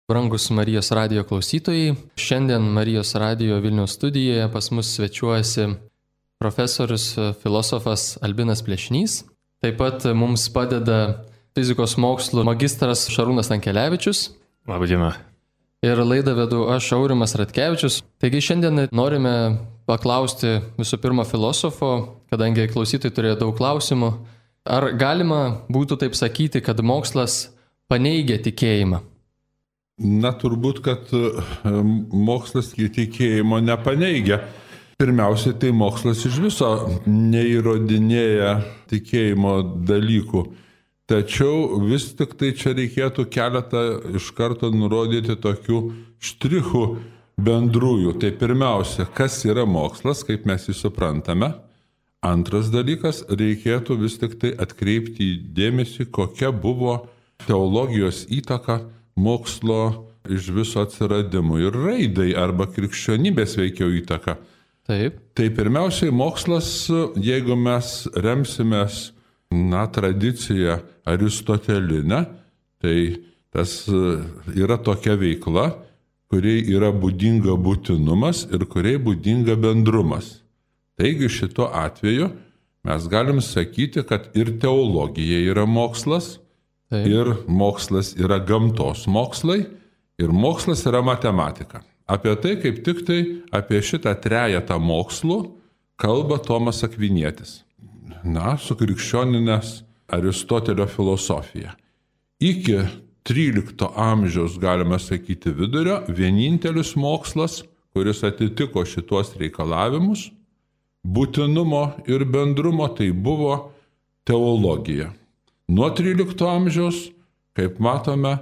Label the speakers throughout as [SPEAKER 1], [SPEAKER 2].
[SPEAKER 1] Brangus Marijos radijo klausytojai, šiandien Marijos radijo Vilniaus studijoje pas mus svečiuojasi profesorius filosofas Albinas Plešnys. Taip pat mums padeda fizikos mokslų magistras Šarūnas Tankelevičius.
[SPEAKER 2] Labą dieną.
[SPEAKER 1] Ir laidą vedu aš, Aurimas Ratkevičius. Taigi šiandien norime paklausti visų pirma filosofo, kadangi klausytojai turėjo daug klausimų. Ar galima būtų taip sakyti, kad mokslas paneigia tikėjimą?
[SPEAKER 3] Na, turbūt, kad mokslas tikėjimo nepaneigia. Pirmiausiai, tai mokslas iš viso neįrodinėja tikėjimo dalykų. Tačiau vis tik tai čia reikėtų keletą iš karto nurodyti tokių štrichų bendrųjų. Tai pirmiausia, kas yra mokslas, kaip mes jį suprantame. Antras dalykas, reikėtų vis tik tai atkreipti dėmesį, kokia buvo teologijos įtaka mokslo iš viso atsiradimui ir raidai arba krikščionybės veikiau įtaka.
[SPEAKER 1] Taip.
[SPEAKER 3] Tai pirmiausiai mokslas, jeigu mes remsimės tradiciją aristotelinę, tai tas yra tokia veikla, kuriai yra būdinga būtinumas ir kuriai būdinga bendrumas. Taigi šito atveju mes galim sakyti, kad ir teologija yra mokslas,
[SPEAKER 1] Taip.
[SPEAKER 3] Ir mokslas yra gamtos mokslai, ir mokslas yra matematika. Apie tai, kaip tik tai, apie šitą trejetą mokslų kalba Tomas Akvinietis. Sukrikščioninęs Aristotelio filosofiją. Iki 13 amžiaus, galime sakyti, vidurio, vienintelis mokslas, kuris atitiko šitos reikalavimus, būtinumo ir bendrumo, tai buvo teologija. Nuo 13 amžiaus, kaip matome,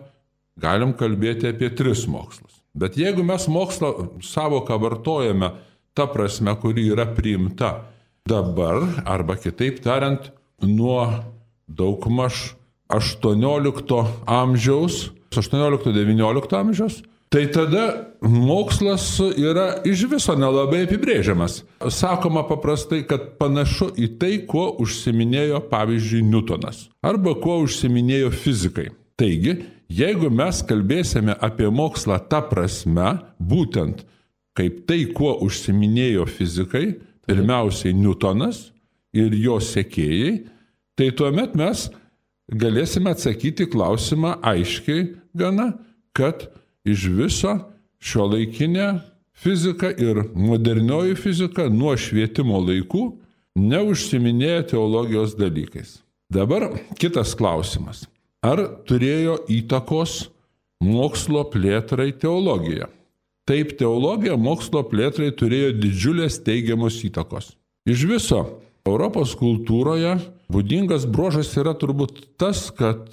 [SPEAKER 3] galim kalbėti apie 3 mokslus. Bet jeigu mes mokslo savoką vartojame ta prasme, kuri yra priimta dabar, arba kitaip tariant, nuo daugmaž 18 amžiaus, 18-19 amžiaus, tai tada mokslas yra iš viso nelabai apibrėžiamas. Sakoma paprastai, kad panašu į tai, kuo užsiminėjo, pavyzdžiui, Newtonas, arba kuo užsiminėjo fizikai. Taigi, jeigu mes kalbėsime apie mokslą ta prasme, būtent kaip tai, kuo užsiminėjo fizikai, pirmiausiai Newtonas ir jo sekėjai, tai tuomet mes galėsime atsakyti klausimą aiškiai gana, kad iš viso šiuolaikinė fizika ir modernioji fizika nuo švietimo laikų neužsiminėja teologijos dalykais. Dabar kitas klausimas. Ar turėjo įtakos mokslo plėtrai teologija? Taip, teologija mokslo plėtrai turėjo didžiulės teigiamos įtakos. Iš viso Europos kultūroje būdingas bruožas yra turbūt tas, kad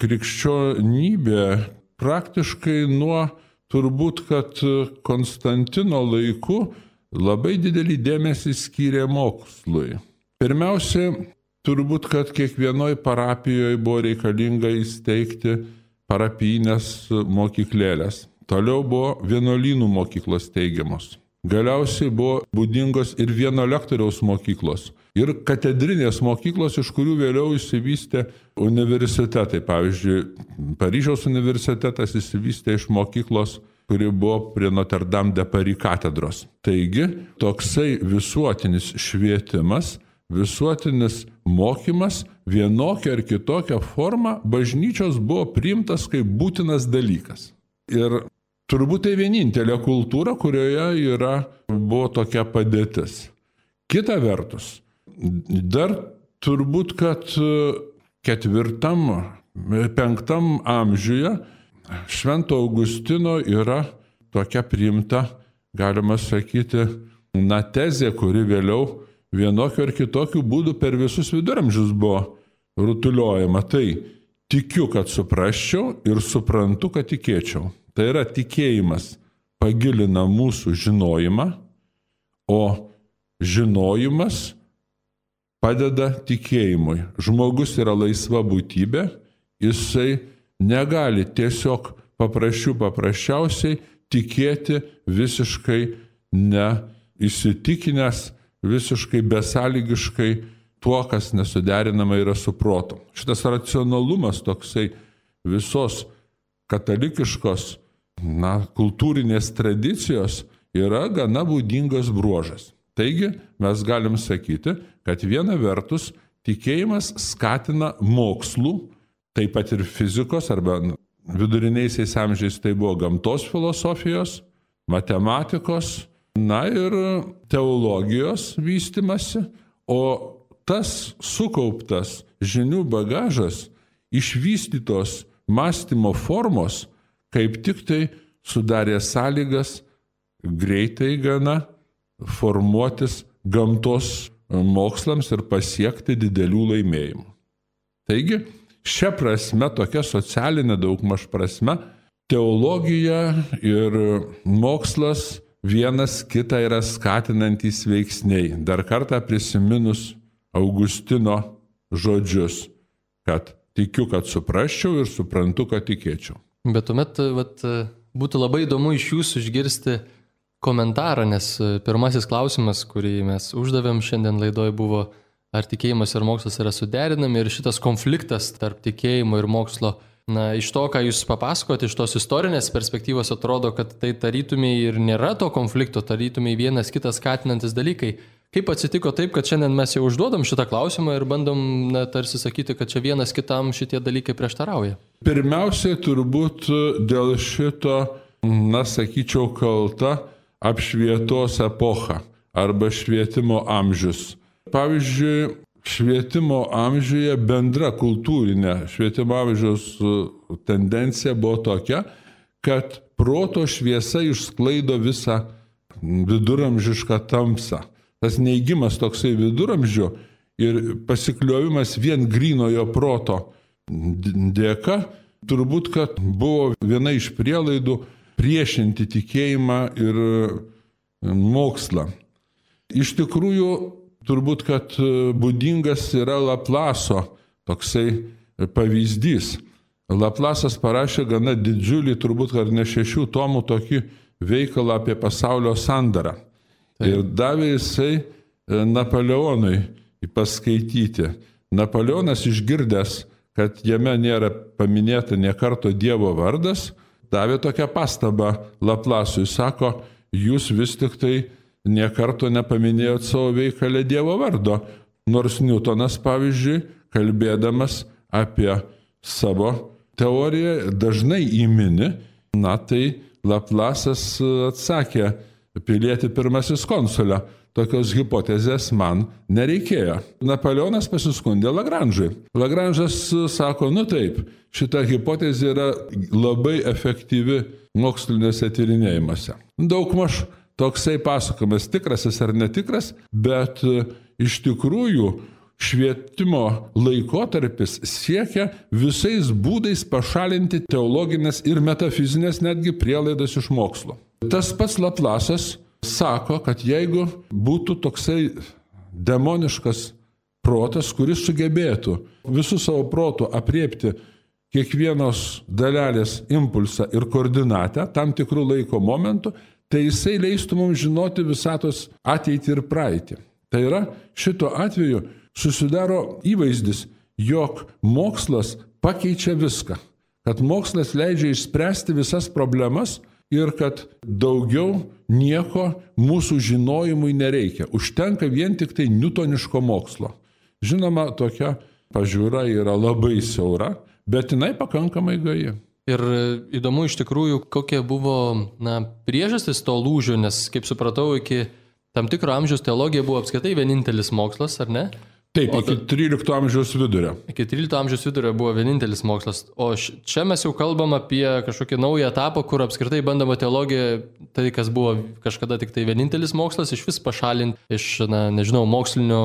[SPEAKER 3] krikščionybė praktiškai nuo turbūt, kad Konstantino laikų labai didelį dėmesį skyrė mokslui. Pirmiausia, turbūt, kad kiekvienoj parapijoje buvo reikalinga įsteigti parapijinės mokyklėlės. Toliau buvo vienuolynų mokyklos steigiamos. Galiausiai buvo būdingos ir vieno lektoriaus mokyklos. Ir katedrinės mokyklos, iš kurių vėliau išsivystė universitetai. Pavyzdžiui, Paryžiaus universitetas išsivystė iš mokyklos, kuri buvo prie Notre Dame de Paris katedros. Taigi, toksai visuotinis švietimas, visuotinis mokymas, vienokia ar kitokia forma bažnyčios buvo priimtas kaip būtinas dalykas. Ir turbūt tai vienintelė kultūra, kurioje buvo tokia padėtis. Kita vertus, dar turbūt, kad 4-5 amžiuje Švento Augustino yra tokia priimta, galima sakyti, tezė, kuri vėliau vienokiu ar kitokiu būdu per visus viduramžius buvo rutuliojama. Tai tikiu, kad suprasčiau ir suprantu, kad tikėčiau. Tai yra tikėjimas pagilina mūsų žinojimą, o žinojimas padeda tikėjimui. Žmogus yra laisva būtybė, jisai negali tiesiog paprasčiausiai tikėti visiškai neįsitikinęs, visiškai besąlygiškai tuo, kas nesuderinama yra su protu. Šitas racionalumas toksai visos katalikiškos kultūrinės tradicijos yra gana būdingas bruožas. Taigi mes galim sakyti, kad viena vertus tikėjimas skatina mokslų, taip pat ir fizikos arba viduriniaisiais amžiais tai buvo gamtos filosofijos, matematikos, ir teologijos vystimasi, o tas sukauptas žinių bagažas, išvystytos mąstymo formos, kaip tik tai sudarė sąlygas greitai gana formuotis gamtos mokslams ir pasiekti didelių laimėjimų. Taigi, šia prasme, tokia socialinė daugmaž prasme, teologija ir mokslas vienas kitą yra skatinantys veiksniai. Dar kartą prisiminus Augustino žodžius, kad tikiu, kad suprasčiau ir suprantu, kad tikėčiau.
[SPEAKER 1] Bet tuomet būtų labai įdomu iš jūsų išgirsti komentarą, nes pirmasis klausimas, kurį mes uždavėm šiandien laidoje, buvo, ar tikėjimas ir mokslas yra suderinami, ir šitas konfliktas tarp tikėjimo ir mokslo. Iš to, ką jūs papasakote, iš tos istorinės perspektyvos atrodo, kad tai tarytumiai ir nėra to konflikto, tarytumiai vienas kitas skatinantis dalykai. Kaip atsitiko taip, kad šiandien mes jau užduodam šitą klausimą ir bandom tarsi sakyti, kad čia vienas kitam šitie dalykai prieštarauja?
[SPEAKER 3] Pirmiausiai turbūt dėl šito, sakyčiau, kalta apšvietos epocha arba švietimo amžius. Pavyzdžiui, švietimo amžiuje bendra kultūrinė švietimo amžiaus tendencija buvo tokia, kad proto šviesa išsklaido visą viduramžišką tamsą. Tas neigimas toksai viduramžio ir pasikliovimas vien grynojo proto dėka, turbūt, kad buvo viena iš prielaidų priešinti tikėjimą ir mokslą. Iš tikrųjų, turbūt, kad būdingas yra Laplaso toksai pavyzdys. Laplasas parašė gana didžiulį, turbūt, kad ne 6 tomų tokį veikalą apie pasaulio sandarą. Ir davė jisai Napoleonui paskaityti. Napoleonas išgirdęs, kad jame nėra paminėta nė karto Dievo vardas, davė tokią pastabą Laplasui. Sako, jūs vis tik tai nė karto nepaminėjot savo veikale Dievo vardo. Nors Newtonas, pavyzdžiui, kalbėdamas apie savo teoriją, dažnai įmini, tai Laplasas atsakė, pilietį pirmasis konsulė. Tokios hipotezės man nereikėjo. Napoleonas pasiskundė Lagranžui. Lagranžas sako, taip, šita hipotezė yra labai efektyvi moksliniuose tyrinėjimuose. Daugmaž toksai pasakojimas, tikrasis ar netikras, bet iš tikrųjų švietimo laikotarpis siekia visais būdais pašalinti teologinės ir metafizinės netgi prielaidas iš mokslo. Tas pats Laplasas sako, kad jeigu būtų toksai demoniškas protas, kuris sugebėtų visų savo protų apriepti kiekvienos dalelės impulsą ir koordinatę tam tikrų laiko momentų, tai jisai leistų mums žinoti visatos ateitį ir praeitį. Tai yra, šito atveju susidaro įvaizdis, jog mokslas pakeičia viską, kad mokslas leidžia išspręsti visas problemas ir kad daugiau nieko mūsų žinojimui nereikia. Užtenka vien tik tai newtoniško mokslo. Žinoma, tokia pažiūra yra labai siaura, bet jinai pakankamai gaji.
[SPEAKER 1] Ir įdomu iš tikrųjų, kokie buvo priežastis to lūžio, nes, kaip supratau, iki tam tikro amžiaus teologija buvo apskritai vienintelis mokslas, ar ne?
[SPEAKER 3] Taip, iki 13 amžiaus vidurio.
[SPEAKER 1] Iki 13 amžiaus vidurio buvo vienintelis mokslas. O čia mes jau kalbam apie kažkokį naują etapą, kur apskritai bandoma teologija, tai kas buvo kažkada tik tai vienintelis mokslas, iš vis pašalinti iš, mokslinio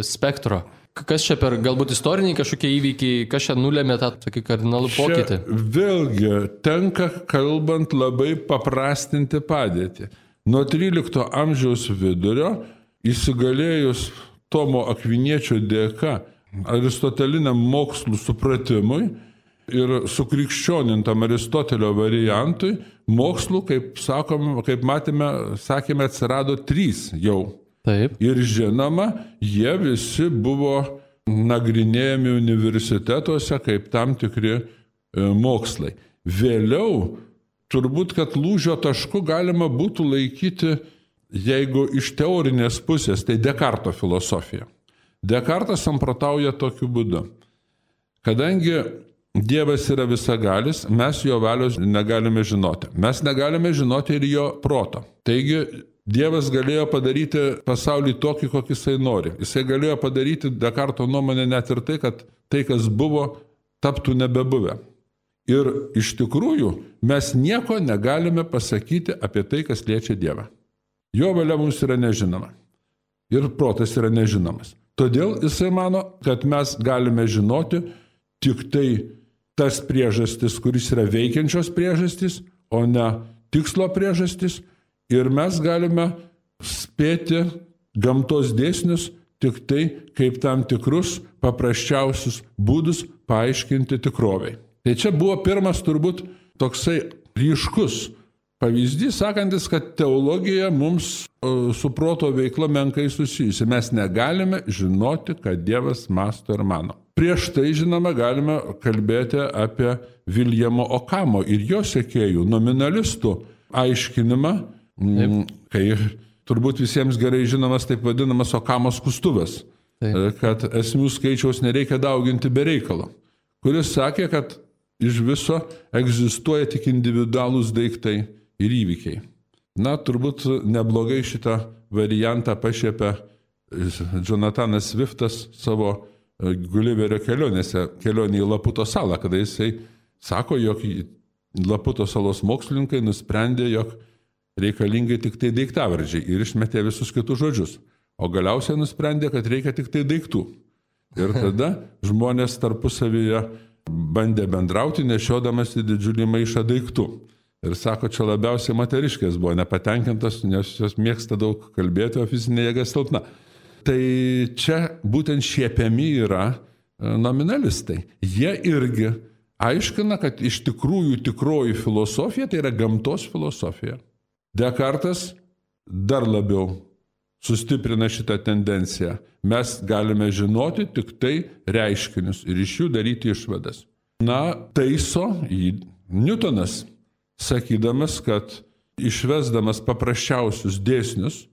[SPEAKER 1] spektro. Kas čia per galbūt istoriniai kažkokie įvykiai, kas čia nulėmė tą tokį kardinalų pokytį?
[SPEAKER 3] Vėlgi, tenka kalbant labai paprastinti padėtį. Nuo 13 amžiaus vidurio įsigalėjus Tomo Akviniečio dėka aristoteliniam mokslų supratimui ir sukrikščionintam Aristotelio variantui, mokslų, kaip matėme, sakėme, atsirado 3 jau.
[SPEAKER 1] Taip.
[SPEAKER 3] Ir žinoma, jie visi buvo nagrinėjami universitetuose kaip tam tikri mokslai. Vėliau, turbūt, kad lūžio tašku galima būtų laikyti, jeigu iš teorinės pusės, tai Dekarto filosofija. Dekartas samprotauja tokiu būdu. Kadangi Dievas yra visagalis, mes jo valios negalime žinoti. Mes negalime žinoti ir jo proto. Taigi, Dievas galėjo padaryti pasaulį tokį, kokį jisai nori. Jisai galėjo padaryti, Dekarto nuomonė, net ir tai, kas buvo, taptų nebebuvę. Ir iš tikrųjų, mes nieko negalime pasakyti apie tai, kas liečia Dievą. Jo valia mums yra nežinoma. Ir protas yra nežinomas. Todėl jisai mano, kad mes galime žinoti tik tai tas priežastis, kuris yra veikiančios priežastis, o ne tikslo priežastis. Ir mes galime spėti gamtos dėsnius tik tai kaip tam tikrus paprasčiausius būdus paaiškinti tikroviai. Tai čia buvo pirmas turbūt toksai ryškus pavyzdys, sakantis, kad teologija mums su proto veikla menkai susijusi. Mes negalime žinoti, kad Dievas mąsto ir mano. Prieš tai, žinoma, galime kalbėti apie Viljamo Okamo ir jo sekėjų nominalistų aiškinimą, kai turbūt visiems gerai žinomas taip vadinamas Okamo skustuvas, kad esmių skaičiaus nereikia dauginti be reikalo, kuris sakė, kad iš viso egzistuoja tik individualūs daiktai ir įvykiai. Na, turbūt neblogai šitą variantą pašiepia Jonathanas Swiftas savo Gulliverio kelionė į Laputo salą, kada jisai sako, jog Laputo salos mokslininkai nusprendė, jog reikalingi tik tai daiktavardžiai ir išmetė visus kitus žodžius. O galiausiai nusprendė, kad reikia tik tai daiktų. Ir tada žmonės tarpusavyje bandė bendrauti, nešiodamas į didžiulį maišą daiktų. Ir sako, čia labiausiai moteriškės buvo nepatenkintos, nes jos mėgsta daug kalbėti, o fizinė jėga silpna. Tai čia būtent šiepiami yra nominalistai. Jie irgi aiškina, kad iš tikrųjų tikroji filosofija tai yra gamtos filosofija. Dekartas dar labiau sustiprina šitą tendenciją. Mes galime žinoti tik tai reiškinius ir iš jų daryti išvadas. Na, taiso jį Newtonas, sakydamas, kad išvesdamas paprasčiausius dėsnius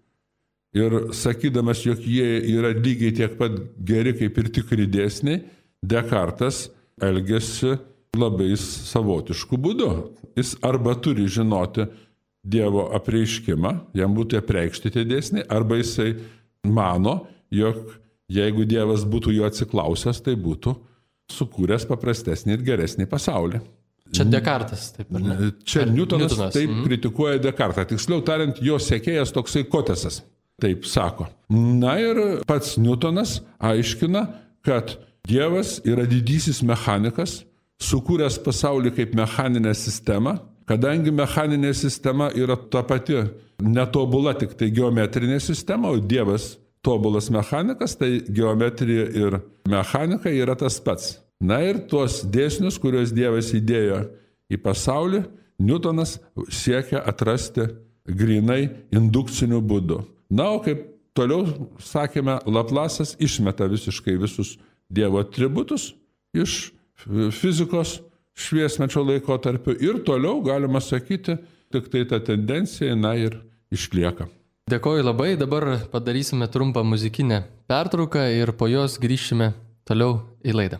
[SPEAKER 3] ir sakydamas, jog jie yra lygiai tiek pat geri kaip ir tikri dėsniai, Dekartas elgiasi labai savotišku būdu. Jis arba turi žinoti Dievo apreiškimą, jam būtų apreikšti tie dėsniai, arba jisai mano, jog jeigu Dievas būtų jo atsiklausęs, tai būtų sukūręs paprastesnį ir geresnį pasaulį.
[SPEAKER 1] Čia Dekartas, taip ar ne?
[SPEAKER 3] Čia Newtonas taip kritikuoja Dekartą. Tiksliau tariant, jo sekėjas toksai Kotesas, taip sako. Na ir pats Newtonas aiškina, kad Dievas yra didysis mechanikas, sukūręs pasaulį kaip mechaninę sistemą, kadangi mechaninė sistema yra ta pati netobula, tik tai geometrinė sistema, o Dievas tobulas mechanikas, tai geometrija ir mechanika yra tas pats. Na ir tuos dėsnius, kuriuos Dievas įdėjo į pasaulį, Newtonas siekia atrasti grinai indukciniu būdu. Na, o kaip toliau sakėme, Laplace'as išmeta visiškai visus Dievo atributus iš fizikos šviesmečio laikotarpiu ir toliau, galima sakyti, tik tai ta tendencija, na ir išlieka.
[SPEAKER 1] Dėkoju labai, dabar padarysime trumpą muzikinę pertrauką ir po jos grįšime toliau į laidą.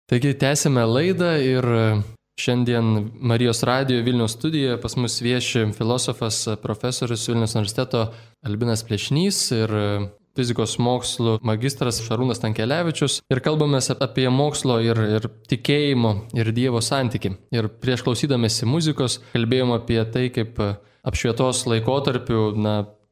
[SPEAKER 1] Taigi tęsime laidą ir šiandien Marijos radijo Vilniaus studijoje pas mus vieši filosofas, profesorius Vilniaus universiteto Albinas Plečnys ir fizikos mokslų magistras Šarūnas Tankelevičius ir kalbamės apie mokslo ir tikėjimo ir Dievo santykį. Ir prieš klausydamėsi muzikos kalbėjom apie tai, kaip apšvietos laikotarpiu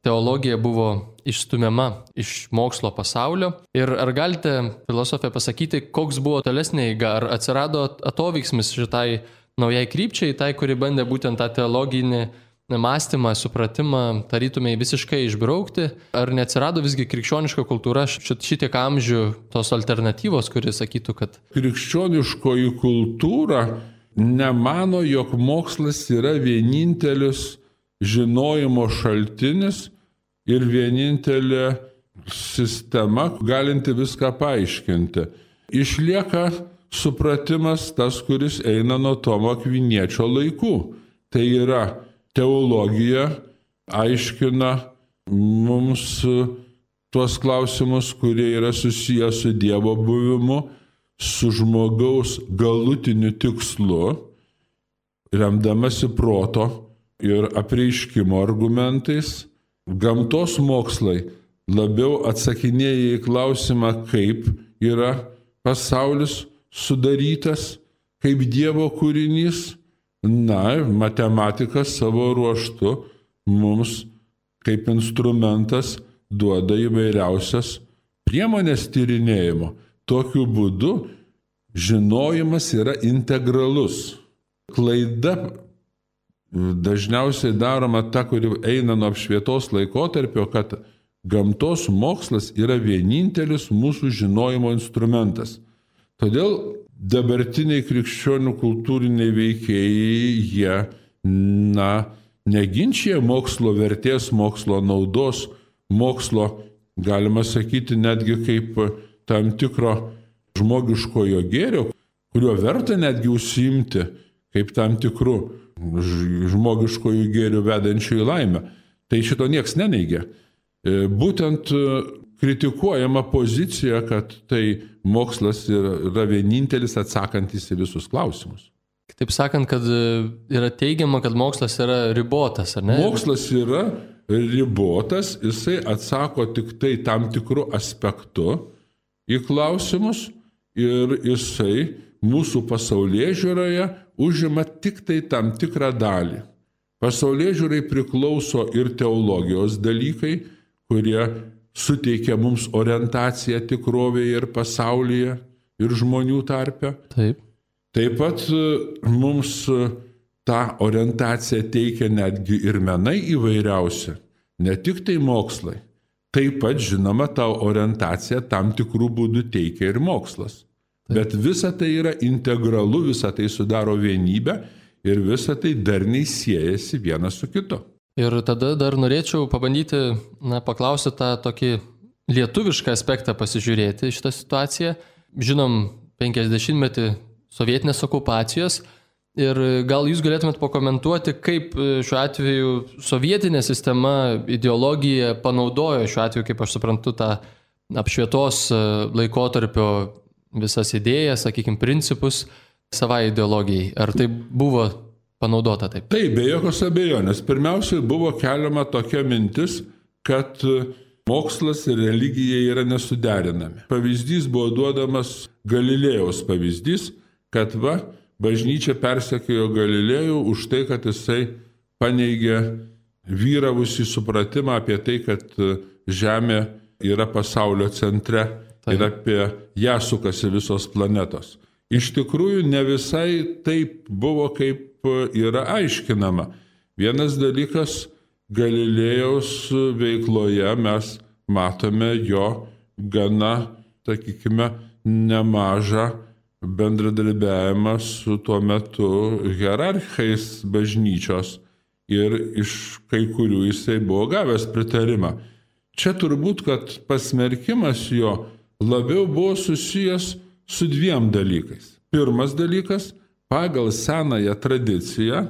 [SPEAKER 1] teologija buvo išstumiama iš mokslo pasaulio. Ir ar galite, filosofė, pasakyti, koks buvo tolesnė eiga, ar atsirado atoveiksmis šitai naujai krypčiai, tai, kuri bandė būtent tą teologinį mąstymą, supratimą tarytumai visiškai išbraukti, ar neatsirado visgi krikščioniška kultūra šitiek amžių tos alternatyvos, kuri sakytų, kad...
[SPEAKER 3] Krikščioniškoji kultūra nemano, jog mokslas yra vienintelis žinojimo šaltinis ir vienintelė sistema, galinti viską paaiškinti. Išlieka supratimas tas, kuris eina nuo Tomo Akviniečio laikų. Tai yra teologija aiškina mums tuos klausimus, kurie yra susiję su Dievo buvimu, su žmogaus galutiniu tikslu, remdamasi proto ir apreiškimo argumentais. Gamtos mokslai labiau atsakinėja į klausimą, kaip yra pasaulis sudarytas, kaip Dievo kūrinys. Na, matematika savo ruožtu mums kaip instrumentas duoda įvairiausias priemonės tyrinėjimo. Tokiu būdu žinojimas yra integralus. Klaida dažniausiai daroma ta, kuri eina nuo apšvietos laikotarpio, kad gamtos mokslas yra vienintelis mūsų žinojimo instrumentas. Todėl dabartiniai krikščionių kultūriniai veikėjai, jie, neginčia mokslo vertės, mokslo naudos, mokslo, galima sakyti, netgi kaip tam tikro žmogiškojo gėrio, kuriuo verta netgi užsiimti, kaip tam tikrų žmogiškojų gėrių vedančių į laimę. Tai šito nieks neneigia. Būtent kritikuojama pozicija, kad tai mokslas yra vienintelis atsakantis į visus klausimus.
[SPEAKER 1] Taip sakant, kad yra teigiama, kad mokslas yra ribotas, ar ne?
[SPEAKER 3] Mokslas yra ribotas, jisai atsako tik tai tam tikrų aspektų į klausimus ir jisai mūsų pasaulėžiūroje užima tik tai tam tikrą dalį. Pasaulėžiūrai priklauso ir teologijos dalykai, kurie suteikia mums orientaciją tikrovėje ir pasaulyje, ir žmonių tarpe. Taip pat mums tą orientaciją teikia netgi ir menai įvairiausi, ne tik tai mokslai. Taip pat, žinoma, tą orientaciją tam tikrų būdų teikia ir mokslas. Bet visa tai yra integralu, visa tai sudaro vienybę ir visa tai darniai siejasi vienas su kitu.
[SPEAKER 1] Ir tada dar norėčiau pabandyti, paklausyti tą tokį lietuvišką aspektą pasižiūrėti šitą situaciją. Žinom 50-metį sovietinės okupacijos ir gal jūs galėtumėt pakomentuoti, kaip šiuo atveju sovietinė sistema, ideologija panaudojo šiuo atveju, kaip aš suprantu, tą apšvietos laikotarpio visas idėjas, sakykime, principus savai ideologijai. Ar tai buvo panaudota taip?
[SPEAKER 3] Taip, be jokios abejonės. Pirmiausiai buvo keliama tokia mintis, kad mokslas ir religija yra nesuderinami. Pavyzdys buvo duodamas Galilėjaus pavyzdys, kad bažnyčia persekiojo Galilėjų už tai, kad jisai paneigė vyravusį supratimą apie tai, kad Žemė yra pasaulio centre ir apie ją sukasi visos planetos. Iš tikrųjų, ne visai taip buvo, kaip yra aiškinama. Vienas dalykas, Galilėjaus veikloje mes matome jo gana, sakykime, nemažą bendradarbiavimą su tuo metu hierarchais bažnyčios ir iš kai kurių jisai buvo gavęs pritarimą. Čia turbūt, kad pasmerkimas jo labiau buvo susijęs su dviem dalykais. Pirmas dalykas, pagal senąją tradiciją,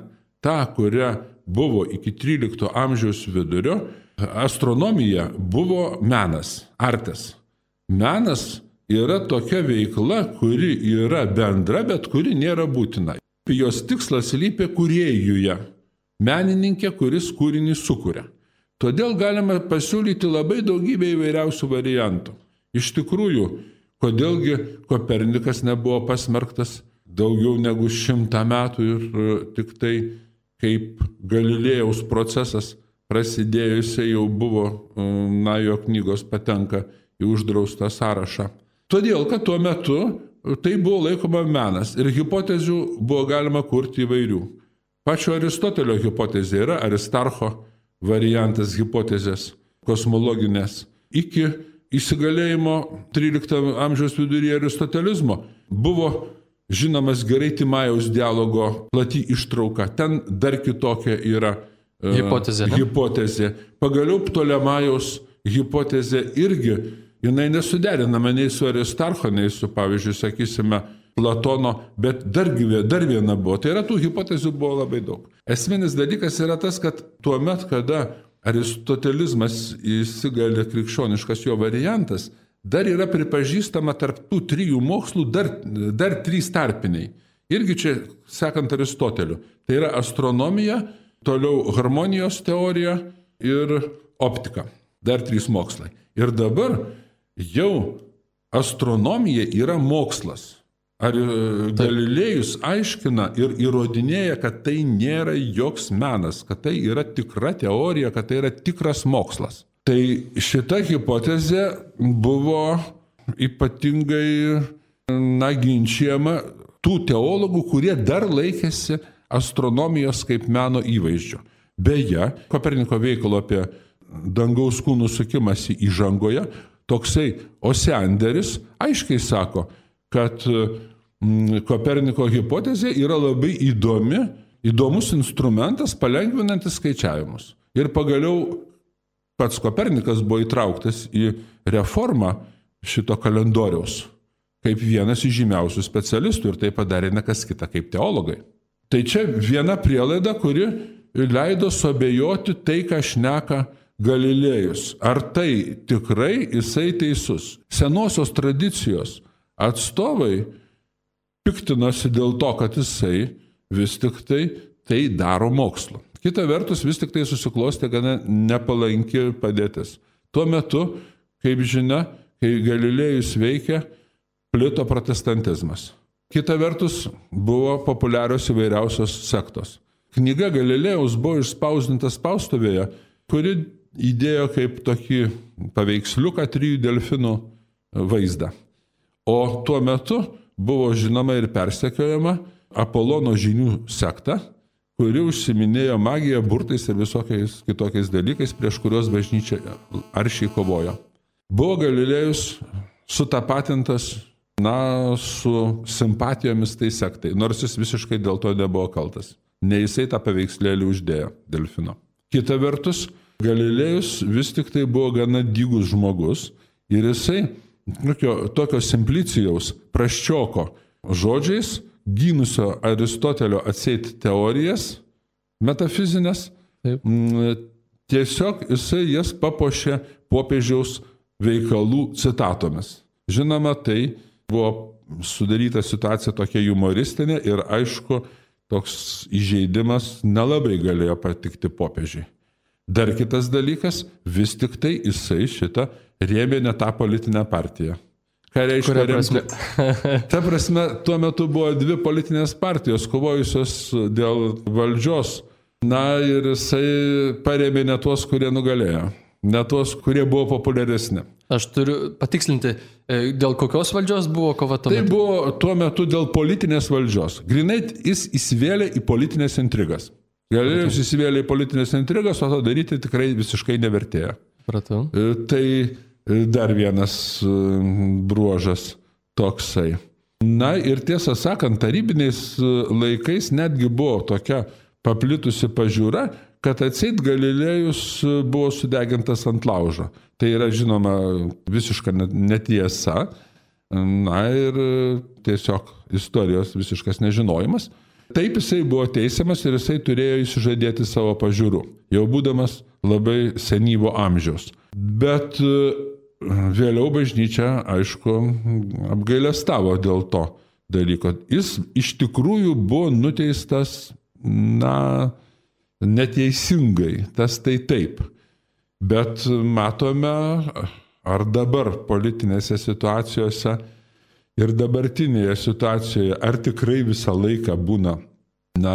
[SPEAKER 3] tą, kurią buvo iki 13 amžiaus vidurio, astronomija buvo menas, artes. Menas yra tokia veikla, kuri yra bendra, bet kuri nėra būtina. Jos tikslas lypia kūrėjuje, menininkė, kuris kūrinį sukuria. Todėl galima pasiūlyti labai daugybę įvairiausių variantų. Iš tikrųjų, kodėlgi Kopernikas nebuvo pasmerktas daugiau negu 100 metų ir tik tai kaip Galilėjaus procesas prasidėjusiai jau buvo, jo knygos patenka į uždraustą sąrašą. Todėl, kad tuo metu tai buvo laikoma menas ir hipotezių buvo galima kurti įvairių. Pačio Aristotelio hipotezė yra Aristarcho variantas hipotezės kosmologinės. Iki įsigalėjimo 13 amžiaus viduryje aristotelizmo buvo žinomas gerai Timajaus dialogo plati ištrauka. Ten dar kitokia yra hipotezė. Pagaliau Ptolemajaus hipotezė irgi, jinai nesuderinama nei su Aristarcho, nei su, pavyzdžiui, sakysime, Platono, bet dar viena buvo. Tai yra, tų hipotezių buvo labai daug. Esminis dalykas yra tas, kad tuo met, kada aristotelizmas įsigali krikščioniškas jo variantas, dar yra pripažįstama tarp tų trijų mokslų dar trys tarpiniai. Irgi čia, sekant Aristoteliu. Tai yra astronomija, toliau harmonijos teorija ir optika. Dar trys mokslai. Ir dabar jau astronomija yra mokslas. Ar Galilėjus aiškina ir įrodinėja, kad tai nėra joks menas, kad tai yra tikra teorija, kad tai yra tikras mokslas. Tai šita hipotezė buvo ypatingai ginčiama tų teologų, kurie dar laikėsi astronomijos kaip meno įvaizdžio. Beje, Koperniko veikalo apie dangaus kūnų sukimąsi įžangoje, toksai Osianderis aiškiai sako, kad Koperniko hipotezė yra labai įdomus instrumentas palengvinantis skaičiavimus. Ir pagaliau pats Kopernikas buvo įtrauktas į reformą šito kalendoriaus kaip vienas iš žymiausių specialistų ir tai padarė ne kas kita kaip teologai. Tai čia viena prielaida, kuri leido suabejoti tai, ką šneka Galilėjus. Ar tai tikrai jisai teisus? Senosios tradicijos atstovai piktinosi dėl to, kad jisai vis tik tai daro mokslu. Kita vertus, vis tik tai susiklostė gana nepalanki padėtis. Tuo metu, kaip žinia, kai Galilėjus veikia, plito protestantizmas. Kita vertus, buvo populiarios įvairiausios sektos. Knyga Galilėjaus buvo išspausdinta spaustuvėje, kuri įdėjo kaip tokį paveiksliuką 3 delfinų vaizdą. O tuo metu buvo žinoma ir persekiojama Apolono žinių sekta, kuri užsiminėjo magiją, burtais ir visokiais kitokiais dalykais, prieš kuriuos bažnyčia aršiai kovojo. Buvo Galilėjus sutapatintas su simpatijomis tai sektai, nors jis visiškai dėl to nebuvo kaltas. Ne jisai tą paveikslėlį uždėjo delfino. Kita vertus, Galilėjus vis tik tai buvo gana dygus žmogus ir jisai tokio simplicijaus prasčioko žodžiais gynusio Aristotelio atseit teorijas metafizinės, tiesiog jisai jas papuošė popiežiaus veikalų citatomis. Žinoma, tai buvo sudaryta situacija tokia humoristinė ir aišku, toks įžeidimas nelabai galėjo patikti popiežiui. Dar kitas dalykas, vis tik tai jisai šitą rėmė ne tą politinę partiją. Ką reiškia remti? Ta prasme, tuo metu buvo 2 politinės partijos kovojusios dėl valdžios. Na ir jisai parėmė ne tuos, kurie nugalėjo, ne tuos, kurie buvo populiaresni.
[SPEAKER 1] Aš turiu patikslinti, dėl kokios valdžios buvo kova tuo metu?
[SPEAKER 3] Tai buvo tuo metu dėl politinės valdžios. Grinai jis įsivėlė į politinės intrigas. Galilėjus įsivėlė į politinės intrigas, o to daryti tikrai visiškai nevertėjo.
[SPEAKER 1] Pratau.
[SPEAKER 3] Tai dar vienas bruožas toksai. Na ir tiesą sakant, tarybiniais laikais netgi buvo tokia paplitusi pažiūra, kad atseit Galilėjus buvo sudegintas ant laužo. Tai yra, žinoma, visiška netiesa. Na ir tiesiog istorijos visiškas nežinojimas. Taip jisai buvo teisiamas ir jisai turėjo išsižadėti savo pažiūrų, jau būdamas labai senyvo amžiaus. Bet vėliau bažnyčia, aišku, apgailestavo dėl to dalyko. Jis iš tikrųjų buvo nuteistas, neteisingai, tas tai taip. Bet matome, ar dabar politinėse situacijose ir dabartinėje situacijoje, ar tikrai visą laiką būna,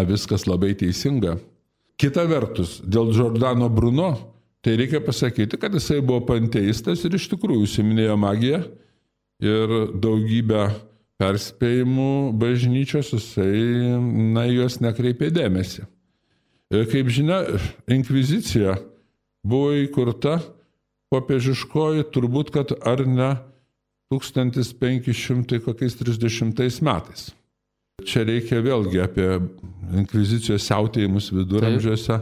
[SPEAKER 3] viskas labai teisinga. Kita vertus, dėl Giordano Bruno, tai reikia pasakyti, kad jisai buvo panteistas ir iš tikrųjų užsiiminėjo magiją ir daugybę perspėjimų bažnyčios jisai, juos nekreipė dėmesį. Kaip žinia, inkvizicija buvo įkurta popiežiškoji turbūt, kad ar ne 1530 metais. Čia reikia vėlgi apie inkvizicijos siautėjimus viduramžiuose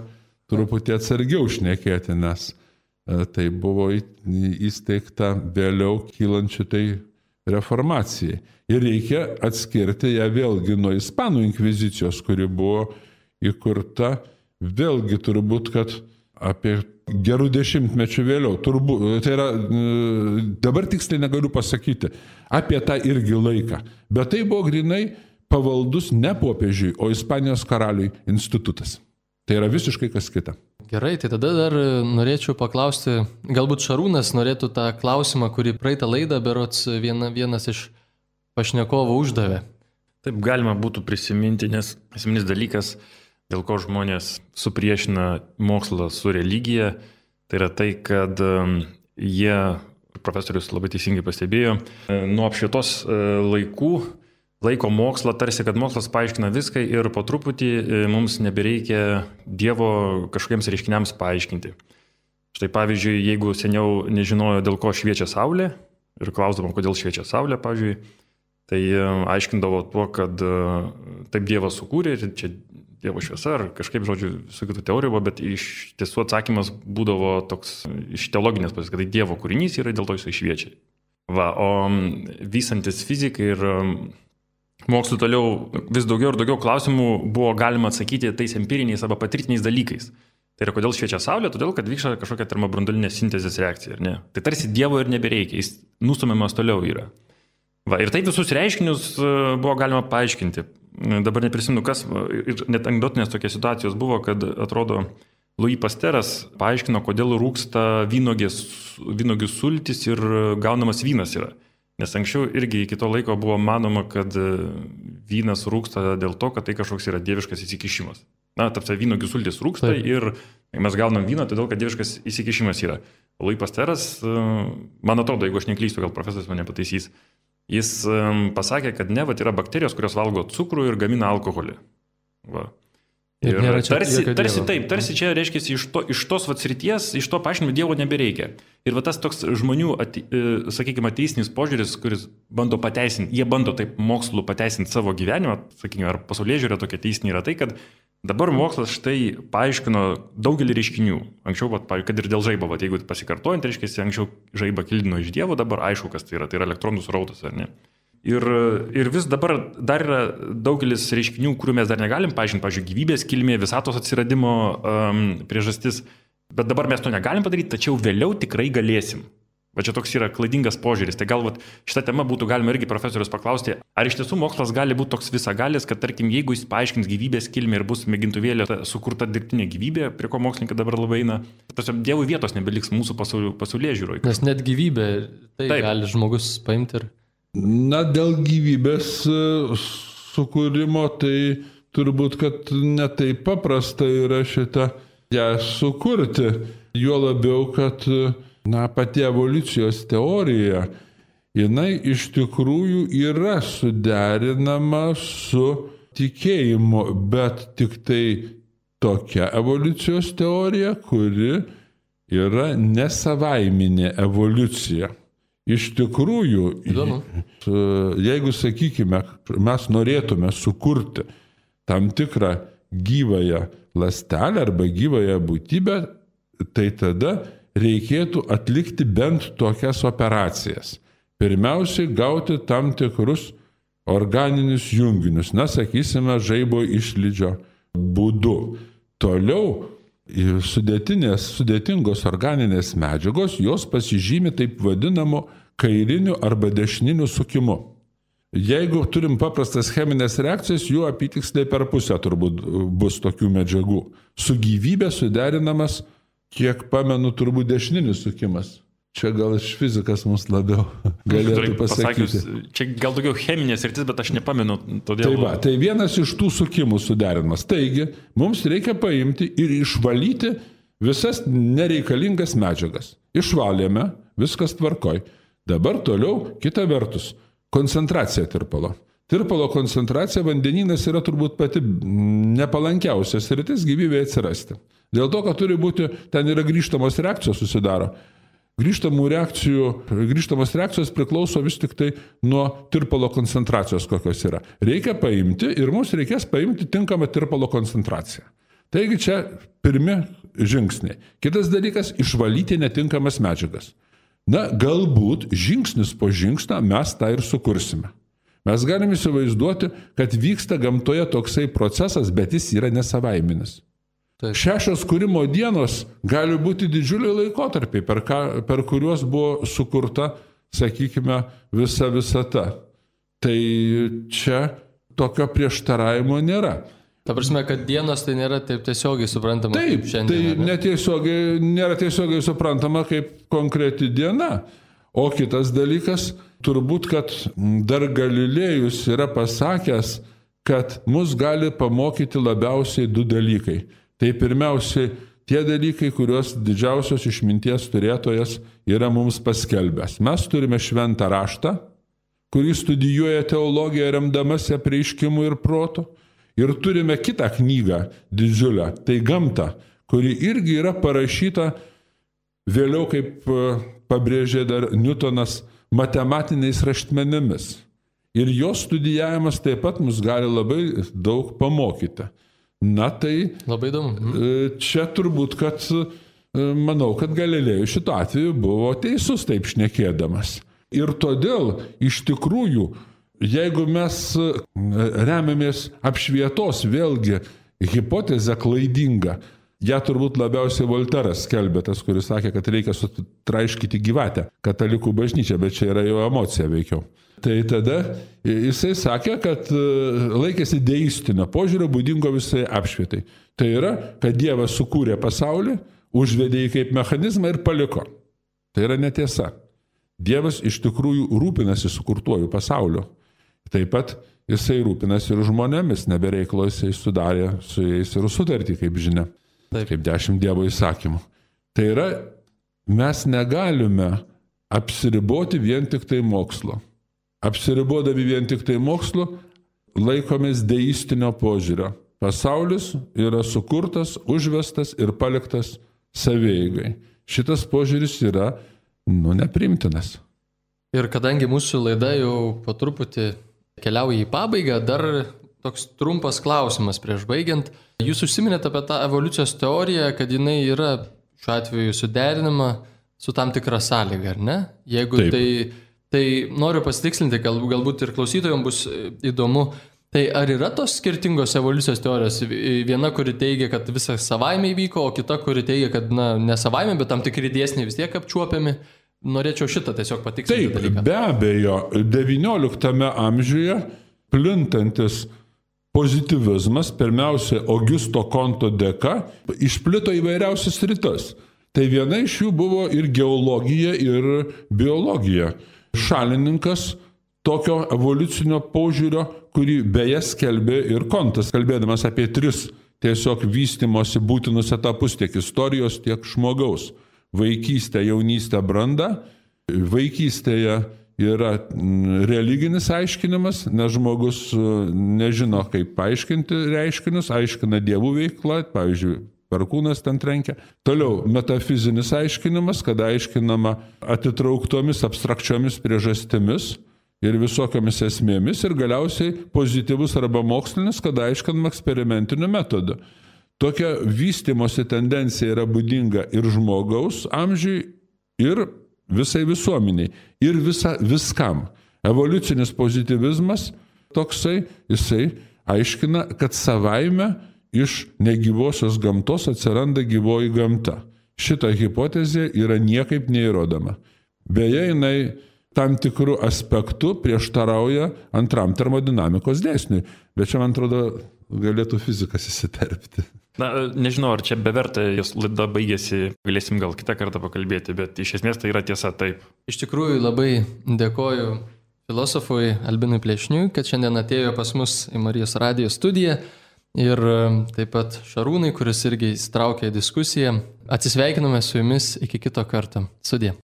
[SPEAKER 3] truputį atsargiau šnekėti, nes tai buvo įsteigta vėliau kylančių tai reformacijai. Ir reikia atskirti ją vėlgi nuo Ispanų inkvizicijos, kuri buvo įkurta vėlgi turbūt, kad apie gerų dešimtmečių vėliau. Tai yra, dabar tiksliai negaliu pasakyti, apie tą irgi laiką. Bet tai buvo grinai pavaldus ne popiežiui, o Ispanijos karaliui institutas. Tai yra visiškai kas kita.
[SPEAKER 1] Gerai, tai tada dar norėčiau paklausti, galbūt Šarūnas norėtų tą klausimą, kurį praeitą laidą berods vienas iš pašnekovų uždavė.
[SPEAKER 2] Taip galima būtų prisiminti, nes esminis dalykas, dėl ko žmonės supriešina mokslą su religija, tai yra tai, kad jie, profesorius labai teisingai pastebėjo, nuo apšvietos laikų laiko mokslą tarsi, kad mokslas paaiškina viską ir po truputį mums nebereikia Dievo kažkokiems reiškiniams paaiškinti. Štai pavyzdžiui, jeigu seniau nežinojo, dėl ko šviečia saulė ir klausdavo, kodėl šviečia saulė, pavyzdžiui, tai aiškindavo tuo, kad taip Dievas sukūrė ir čia Dievo šviesa ar kažkaip, žodžiu, visų kitų teorijų buvo, bet iš tiesų atsakymas būdavo toks iš teologinės pusės, kad tai Dievo kūrinys yra, dėl to jisai šviečia. Va, o vystantis fizikai ir mokslu toliau vis daugiau ir daugiau klausimų buvo galima atsakyti tais empiriniais arba patirtiniais dalykais. Tai yra, kodėl šviečia saulė, todėl, kad vyksta kažkokia termobranduolinė sintezės reakcija, ar ne? Tai tarsi Dievo ir nebereikia, jis nustumiamas toliau yra. Va, ir taip visus reiškinius buvo galima paaiškinti. Dabar neprisimenu kas, ir net anekdotinės tokios situacijos buvo, kad atrodo Louis Pasteuras paaiškino, kodėl rūksta vynuogių sultis ir gaunamas vynas yra. Nes anksčiau irgi iki to laiko buvo manoma, kad vynas rūksta dėl to, kad tai kažkoks yra dieviškas įsikišimas. Na, tarsi vynuogių sultis rūksta ir mes gaunam vyną, todėl kad dieviškas įsikišimas yra. Louis Pasteuras, man atrodo, jeigu aš neklystu, gal profesorius mane pataisys, jis pasakė, kad ne, yra bakterijos, kurios valgo cukrų ir gamina alkoholį. Va. Ir tarsi čia reiškia iš tos srities, iš to paaiškinimo Dievo nebereikia. Ir tas toks žmonių, sakykime, ateisinis požiūris, kuris bando pateisinti, jie bando taip mokslu pateisinti savo gyvenimą, sakykime, ar pasaulėžiūra tokia teisinė yra tai, kad dabar mokslas štai paaiškino daugelį reiškinių. Anksčiau, kad ir dėl žaibo, jeigu pasikartojant, reiškia, anksčiau žaibą kildino iš Dievo, dabar aišku, kas tai yra elektronų srautas, ar ne? Ir vis dabar dar yra daugelis reiškinių, kurių mes dar negalim paaiškinti, pavyzdžiui, gyvybės kilmė, visatos atsiradimo priežastis, bet dabar mes to negalim padaryti, tačiau vėliau tikrai galėsim. Va čia toks yra klaidingas požiūris. Tai gal šitą temą būtų galima irgi profesorius paklausti, ar iš tiesų mokslas gali būti toks visagalis, kad tarkim, jeigu jis paaiškins gyvybės kilmę ir bus mėgintuvėlė sukurta dirbtinė gyvybė, prie ko mokslininkai dabar labai eina, tiesiog Dievui vietos nebeliks mūsų pasaulėžiūroje.
[SPEAKER 1] Nes net gyvybė, tai taip gali žmogus paimti ir...
[SPEAKER 3] Na, dėl gyvybės sukūrimo, tai turbūt, kad netaip paprasta yra šitą ją sukurti. Juo labiau, kad pati evoliucijos teorija, jinai iš tikrųjų yra suderinama su tikėjimu, bet tik tai tokia evoliucijos teorija, kuri yra nesavaiminė evoliucija. Iš tikrųjų, jeigu, sakykime, mes norėtume sukurti tam tikrą gyvąją ląstelę arba gyvąją būtybę, tai tada reikėtų atlikti bent tokias operacijas. Pirmiausiai gauti tam tikrus organinius junginius, sakysime, žaibo išlydžio būdu. Toliau sudėtingos organinės medžiagos, jos pasižymi taip vadinamu kairiniu arba dešininiu sukimu. Jeigu turim paprastas cheminės reakcijas, jų apytiksliai per pusę turbūt bus tokių medžiagų. Su gyvybė suderinamas, kiek pamenu, turbūt dešininis sukimas. Čia gal iš fizikas mums labiau galėtų pasakyti.
[SPEAKER 2] Čia gal daugiau cheminės sritis, bet aš nepamenu. Todėl...
[SPEAKER 3] Tai vienas iš tų sukimų suderinimas. Taigi, mums reikia paimti ir išvalyti visas nereikalingas medžiagas. Išvalėme, viskas tvarkoj. Dabar toliau, kita vertus, koncentracija tirpalo. Tirpalo koncentracija vandenynas yra turbūt pati nepalankiausia sritis gyvybėje atsirasti. Dėl to, kad turi būti, ten yra grįžtamos reakcijos susidaro. Grįžtamos reakcijos priklauso vis tik tai nuo tirpalo koncentracijos, kokios yra. Reikia paimti ir mums reikės paimti tinkamą tirpalo koncentraciją. Taigi čia pirmi žingsniai. Kitas dalykas – išvalyti netinkamas medžiagas. Na, galbūt žingsnis po žingsnio mes tą ir sukursime. Mes galime įsivaizduoti, kad vyksta gamtoje toksai procesas, bet jis yra nesavaiminis.
[SPEAKER 1] Taip.
[SPEAKER 3] 6 kūrimo dienos gali būti didžiuliai laikotarpiai, per kuriuos buvo sukurta, sakykime, visa visata. Tai čia tokio prieštaravimo nėra.
[SPEAKER 1] Ta prasme, kad dienos tai nėra taip tiesiogiai suprantama
[SPEAKER 3] Taip,
[SPEAKER 1] kaip šiandien.
[SPEAKER 3] Tai nėra tiesiogiai suprantama kaip konkreti diena. O kitas dalykas, turbūt, kad dar Galilėjus yra pasakęs, kad mus gali pamokyti labiausiai 2 dalykai. Tai pirmiausiai tie dalykai, kuriuos didžiausios išminties turėtojas yra mums paskelbęs. Mes turime šventą raštą, kurį studijuoja teologija remdamasi apreiškimu ir protu. Ir turime kitą knygą didžiulę, tai gamta, kuri irgi yra parašyta vėliau, kaip pabrėžė dar Newtonas, matematiniais raštmenimis. Ir jos studijavimas taip pat mus gali labai daug pamokyti. Na tai
[SPEAKER 1] labai įdomu.
[SPEAKER 3] Čia turbūt, kad manau, kad Galilėjus šituo atveju buvo teisus taip šnekėdamas. Ir todėl iš tikrųjų, jeigu mes remiamės apšvietos vėlgi hipotezę klaidingą, ją turbūt labiausiai Volteras skelbė, tas, kuris sakė, kad reikia sutraiškyti gyvatę katalikų bažnyčią, bet čia yra jo emocija veikiau. Tai tada jisai sakė, kad laikėsi deistinio požiūrio būdingo visai apšvietai. Tai yra, kad Dievas sukūrė pasaulį, užvedė jį kaip mechanizmą ir paliko. Tai yra netiesa. Dievas iš tikrųjų rūpinasi sukurtuoju pasauliu. Taip pat jisai rūpinasi ir žmonėmis, nebereiklo jisai sudarė su jais ir sutartį, kaip žinia.
[SPEAKER 1] Taip.
[SPEAKER 3] Kaip 10 Dievo įsakymų. Tai yra, mes negalime apsiriboti vien tik tai mokslo. Apsiribodami vien tik tai mokslu, laikomės deistinio požiūrio. Pasaulis yra sukurtas, užvestas ir paliktas savieigai. Šitas požiūris yra, neprimtinas.
[SPEAKER 1] Ir kadangi mūsų laida jau po truputį keliauja į pabaigą, dar toks trumpas klausimas prieš baigiant. Jūs užsiminėte apie tą evoliucijos teoriją, kad jinai yra šiuo atveju suderinama su tam tikra sąlyga, ar ne? Jeigu tai noriu pasitikslinti, galbūt ir klausytojams bus įdomu. Tai ar yra tos skirtingos evoliucijos teorijos? Viena, kuri teigia, kad visas savaime įvyko, o kita, kuri teigia, kad ne savaime, bet tam tikri dėsniai vis tiek apčiuopiami. Norėčiau šitą tiesiog patikslinti.
[SPEAKER 3] Taip, be abejo, XIX amžiuje plintantis pozityvizmas, pirmiausia, Augusto Konto dėka, išplito įvairiausias sritis. Tai viena iš jų buvo ir geologija, ir biologija. Šalininkas tokio evoliucinio požiūrio, kurį beje skelbė ir Kontas, kalbėdamas apie 3 tiesiog vystymosi būtinus etapus tiek istorijos, tiek žmogaus. Vaikystė, jaunystė, branda. Vaikystėje yra religinis aiškinimas, nes žmogus nežino, kaip paaiškinti reiškinius, aiškina dievų veiklą, pavyzdžiui, perkūnas ten trenkia. Toliau metafizinis aiškinimas, kada aiškinama atitrauktomis abstrakčiomis priežastimis ir visokiamis esmėmis, ir galiausiai pozityvus arba mokslinis, kada aiškinama eksperimentiniu metodu. Tokia vystimosi tendencija yra būdinga ir žmogaus amžiui, ir visai visuomeniai, ir viskam. Evoliucinis pozityvizmas toksai, jisai aiškina, kad savaime iš negyvosios gamtos atsiranda gyvoji gamta. Šita hipotezė yra niekaip neįrodoma. Beje, jinai tam tikrų aspektų prieštarauja antram termodinamikos dėsniui, bet čia, man atrodo, galėtų fizikas įsiterpti.
[SPEAKER 2] Na, nežinau, ar čia beverta, jos laida baigėsi, galėsim gal kitą kartą pakalbėti, bet iš esmės tai yra tiesa taip.
[SPEAKER 1] Iš tikrųjų labai dėkoju filosofui Albinui Plešniui, kad šiandien atėjo pas mus į Marijos radijo studiją, ir taip pat Šarūnai, kuris irgi įsitraukė į diskusiją. Atsisveikiname su jumis iki kito karto. Sudie.